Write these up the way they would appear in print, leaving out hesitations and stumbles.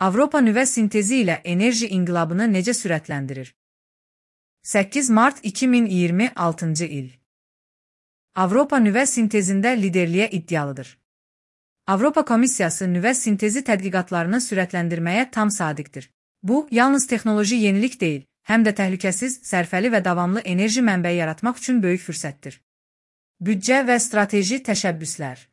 Avropa nüvə sintezi ilə enerji inqilabını necə sürətləndirir? 8 mart 2026-cı il. Avropa nüvə sintezində liderliyə iddialıdır. Avropa Komissiyası nüvə sintezi tədqiqatlarını sürətləndirməyə tam sadiqdir. Bu, yalnız texnoloji yenilik deyil, həm də təhlükəsiz, sərfəli və davamlı enerji mənbəyi yaratmaq üçün böyük fürsətdir. Büdcə və strateji təşəbbüslər.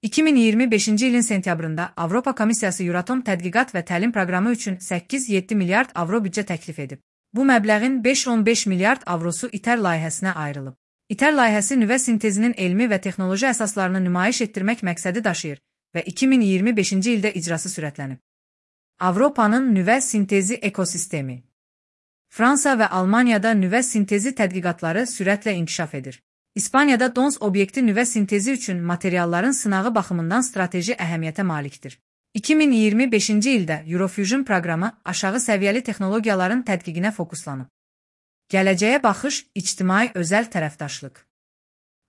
2025-ci ilin sentyabrında Avropa Komissiyası Euratom tədqiqat və təlim proqramı üçün 8-7 milyard avro büdcə təklif edib. Bu məbləğin 5-15 milyard avrosu ITER layihəsinə ayrılıb. ITER layihəsi nüvə sintezinin elmi və texnoloji əsaslarını nümayiş etdirmək məqsədi daşıyır və 2025-ci ildə icrası sürətlənib. Avropanın nüvə sintezi ekosistemi. Fransa və Almaniyada nüvə sintezi tədqiqatları sürətlə inkişaf edir. İspaniyada DONS obyekti nüvə sintezi üçün materialların sınağı baxımından strateji əhəmiyyətə malikdir. 2025-ci ildə Eurofusion proqramı aşağı səviyyəli texnologiyaların tədqiqinə fokuslanıb. Gələcəyə baxış, ictimai özəl tərəfdaşlıq.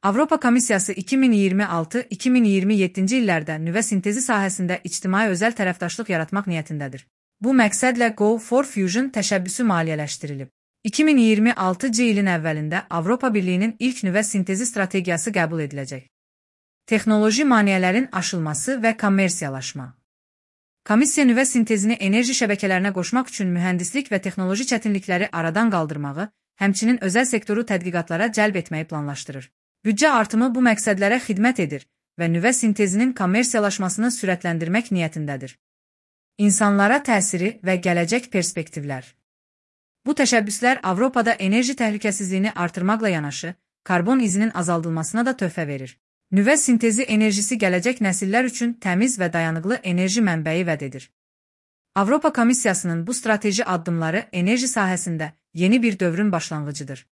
Avropa Komissiyası 2026-2027-ci illərdə nüvə sintezi sahəsində ictimai özəl tərəfdaşlıq yaratmaq niyyətindədir. Bu məqsədlə Go for Fusion təşəbbüsü maliyyələşdirilib. 2026-cı ilin əvvəlində Avropa Birliyinin ilk nüvə sintezi strategiyası qəbul ediləcək. Texnoloji maneələrin aşılması və kommersiyalaşma. Komissiya nüvə sintezini enerji şəbəkələrinə qoşmaq üçün mühəndislik və texnoloji çətinlikləri aradan qaldırmağı, həmçinin özəl sektoru tədqiqatlara cəlb etməyi planlaşdırır. Büdcə artımı bu məqsədlərə xidmət edir və nüvə sintezinin kommersiyalaşmasını sürətləndirmək niyyətindədir. İnsanlara təsiri və gələcək perspektivlər. Bu təşəbbüslər Avropada enerji təhlükəsizliyini artırmaqla yanaşı, karbon izinin azaldılmasına da töhfə verir. Nüvə sintezi enerjisi gələcək nəsillər üçün təmiz və dayanıqlı enerji mənbəyi vəd edir. Avropa Komissiyasının bu strateji addımları enerji sahəsində yeni bir dövrün başlanğıcıdır.